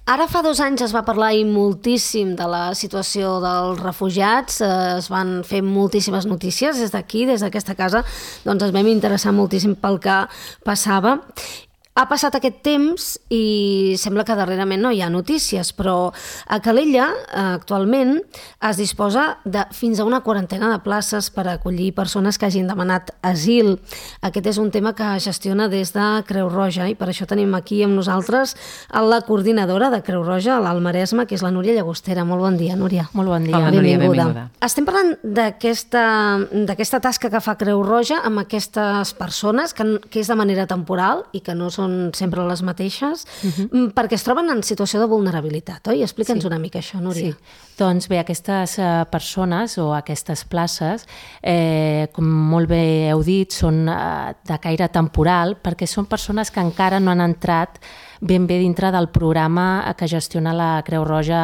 Ara fa 2 anys es va parlar moltíssim de la situació dels refugiats, es van fer moltíssimes notícies des d'aquí, des d'aquesta casa, doncs es vam interessar moltíssim pel que passava. Ha passat aquest temps i sembla que darrerament no hi ha notícies, però a Calella actualment es disposa de fins a una 40ena de places per acollir persones que hagin demanat asil. Aquest és un tema que gestiona des de Creu Roja i per això tenim aquí amb nosaltres la coordinadora de Creu Roja a l'Alt Maresme, que és la Núria Llagostera. Molt bon dia, Núria. Molt bon dia. Hola, Núria, benvinguda. Estem parlant d'aquesta tasca que fa Creu Roja amb aquestes persones, que és de manera temporal i que no són sempre les mateixes, perquè es troben en situació de vulnerabilitat, oi? Explica'ns una mica això, Núria. Sí. Doncs bé, aquestes persones o aquestes places, com molt bé heu dit, són de caire temporal perquè són persones que encara no han entrat ben bé dintre del programa que gestiona la Creu Roja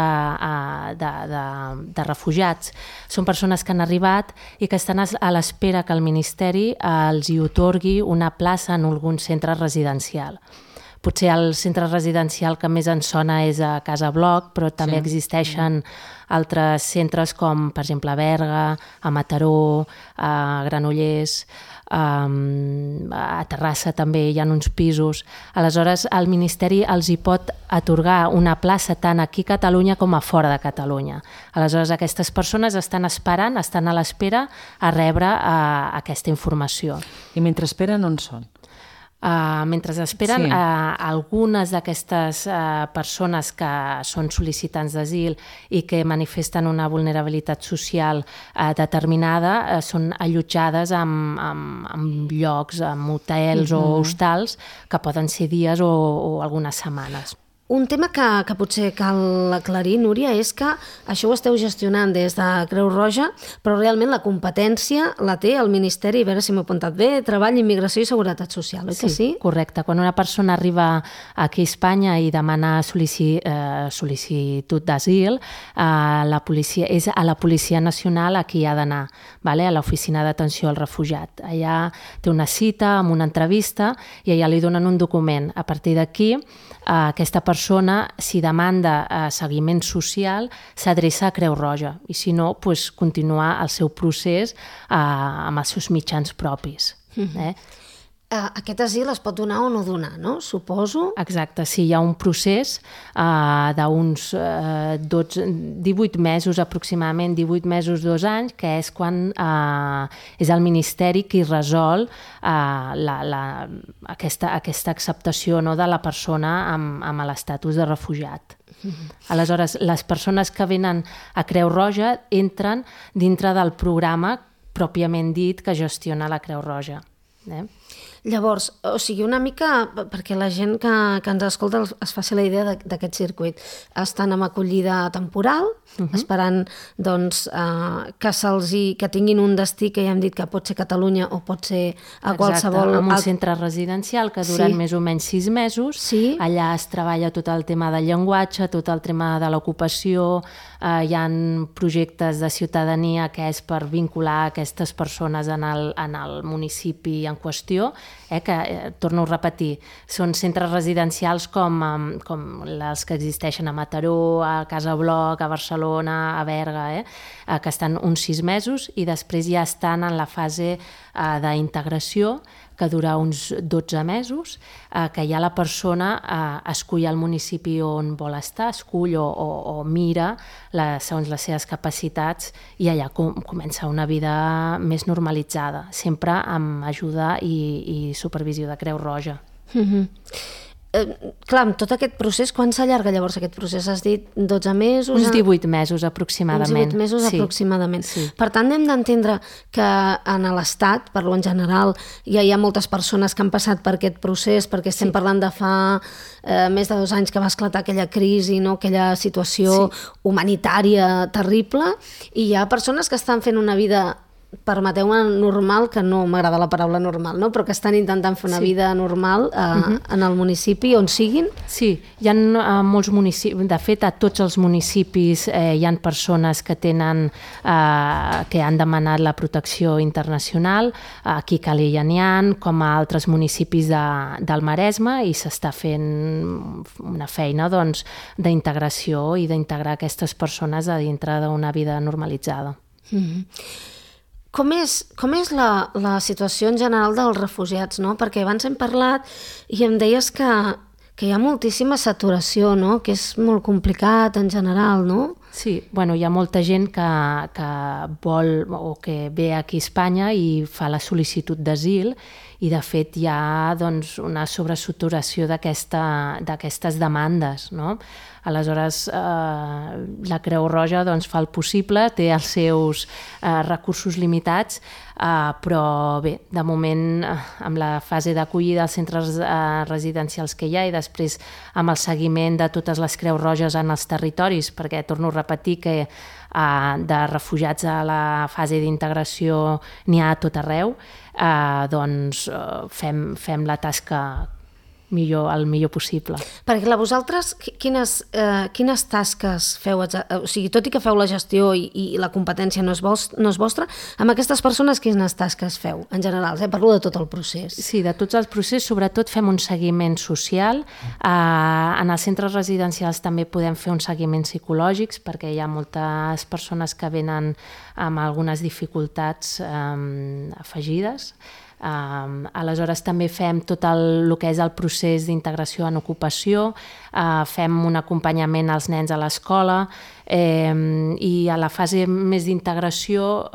de refugiats. Són persones que han arribat i que estan a l'espera que el Ministeri els hi otorgui una plaça en algun centre residencial. Potser el centre residencial que més ens sona és a Casa Bloc, però també existeixen altres centres com, per exemple, a Berga, a Mataró, a Granollers, a Terrassa també hi ha uns pisos. Aleshores, el Ministeri els hi pot atorgar una plaça tant aquí a Catalunya com a fora de Catalunya. Aleshores, aquestes persones estan esperant, estan a l'espera a rebre aquesta informació. I mentre esperen, on són? Mentre esperen, algunes d'aquestes persones que són sol·licitants d'asil i que manifesten una vulnerabilitat social determinada són allotjades en llocs, en hotels o hostals que poden ser dies o algunes setmanes. Un tema que potser cal aclarir, Núria, és que això ho esteu gestionant des de Creu Roja, però realment la competència la té el Ministeri, a veure si m'ho he apuntat bé, Treball, Immigració i Seguretat Social, oi que sí? Correcte. Quan una persona arriba aquí a Espanya i demana sol·licitud d'asil, és a la Policia Nacional a qui ha d'anar, a l'Oficina d'Atenció al Refugiat. Allà té una cita amb una entrevista i allà li donen un document. A partir d'aquí, aquesta persona, si demanda seguiment social, s'adreça a Creu Roja i si no, continuar el seu procés amb els seus mitjans propis. Aquest asil es pot donar o no donar, no? Suposo. Exacte, sí, hi ha un procés d'uns 18 mesos aproximadament, 18 mesos, 2 anys, que és quan és el Ministeri qui resol aquesta acceptació de la persona amb l'estatus de refugiat. Aleshores, les persones que venen a Creu Roja entren dintre del programa pròpiament dit que gestiona la Creu Roja. Llavors, o sigui, una mica, perquè la gent que ens escolta es faci la idea d'aquest circuit, estan amb acollida temporal, esperant que tinguin un destí que ja hem dit que pot ser Catalunya o pot ser a qualsevol... Exacte, en un centre residencial que duren més o menys 6 mesos, allà es treballa tot el tema del llenguatge, tot el tema de l'ocupació, hi ha projectes de ciutadania que és per vincular aquestes persones en el municipi en qüestió, que, torno a repetir, són centres residencials com els que existeixen a Mataró, a Casa Bloc, a Barcelona, a Berga, que estan uns 6 mesos i després ja estan en la fase d'integració, que dura uns 12 mesos, que ja la persona escull el municipi on vol estar, escull o mira segons les seves capacitats i allà comença una vida més normalitzada, sempre amb ajuda i supervisió de Creu Roja. Clar, amb tot aquest procés, quan s'allarga llavors aquest procés? Has dit 12 mesos? Uns 18 mesos aproximadament. Uns 18 mesos aproximadament. Per tant, hem d'entendre que en l'Estat, parlo en general, ja hi ha moltes persones que han passat per aquest procés, perquè estem parlant de fa més de 2 anys que va esclatar aquella crisi, aquella situació humanitària terrible, i hi ha persones que estan fent una vida permeteu-me, normal, que no m'agrada la paraula normal, no? Però que estan intentant fer una vida normal en el municipi on siguin? Sí, hi ha molts municipis, de fet a tots els municipis hi ha persones que tenen, que han demanat la protecció internacional, aquí a Calella n'hi ha, com a altres municipis del Maresme, i s'està fent una feina d'integració i d'integrar aquestes persones a dintre d'una vida normalitzada. Com és la situació en general dels refugiats, no? Perquè abans hem parlat i em deies que hi ha moltíssima saturació, no? Que és molt complicat en general, no? Sí, bueno, hi ha molta gent que vol o que ve aquí a Espanya i fa la sol·licitud d'asil, i de fet hi ha una sobresaturació d'aquestes demandes, no? Aleshores, la Creu Roja fa el possible, té els seus recursos limitats, però bé, de moment, amb la fase d'acollida als centres residencials que hi ha i després amb el seguiment de totes les Creus Roges en els territoris, perquè torno a repetir que de refugiats a la fase d'integració n'hi ha a tot arreu, doncs fem la tasca el millor possible. Perquè vosaltres, quines tasques feu? O sigui, tot i que feu la gestió i la competència no és vostra, amb aquestes persones quines tasques feu en general? Parlo de tot el procés. Sí, de tots els processos, sobretot fem un seguiment social. En els centres residencials també podem fer uns seguiments psicològics, perquè hi ha moltes persones que venen amb algunes dificultats afegides. Aleshores també fem tot el que és el procés d'integració en ocupació, fem un acompanyament als nens a l'escola, i a la fase més d'integració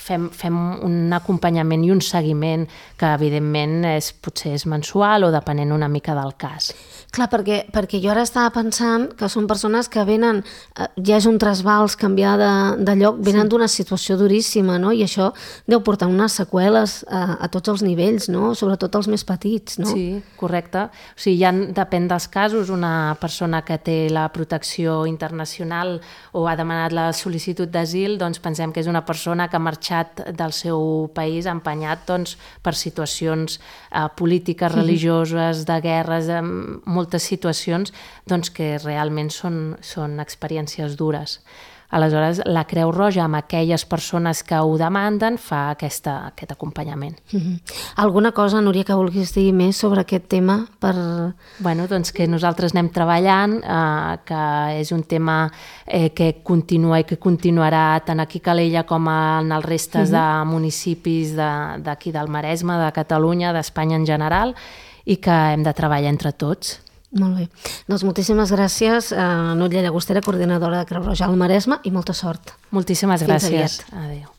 fem un acompanyament i un seguiment que evidentment potser és mensual o depenent una mica del cas. Clar, perquè jo ara estava pensant que són persones que venen, ja és un trasbals, canviar de lloc, venen d'una situació duríssima, no? I això deu portar unes seqüeles a tots els nivells, no? Sobretot els més petits, no? Sí, correcte. O sigui, depèn dels casos, una persona que té la protecció internacional o ha demanat la sol·licitud d'asil, doncs pensem que és una persona que ha marxat del seu país empenyat per situacions polítiques, religioses, de guerres, moltes situacions que realment són experiències dures. Aleshores, la Creu Roja, amb aquelles persones que ho demanden, fa aquest acompanyament. Alguna cosa, Núria, que vulguis dir més sobre aquest tema? Bueno, doncs que nosaltres anem treballant, que és un tema que continua i que continuarà tant aquí a Calella com en els restes de municipis d'aquí del Maresme, de Catalunya, d'Espanya en general, i que hem de treballar entre tots. Molt bé. Doncs moltíssimes gràcies a Núria Llagostera, coordinadora de Creu Roja al Maresme, i molta sort. Moltíssimes gràcies. Adéu.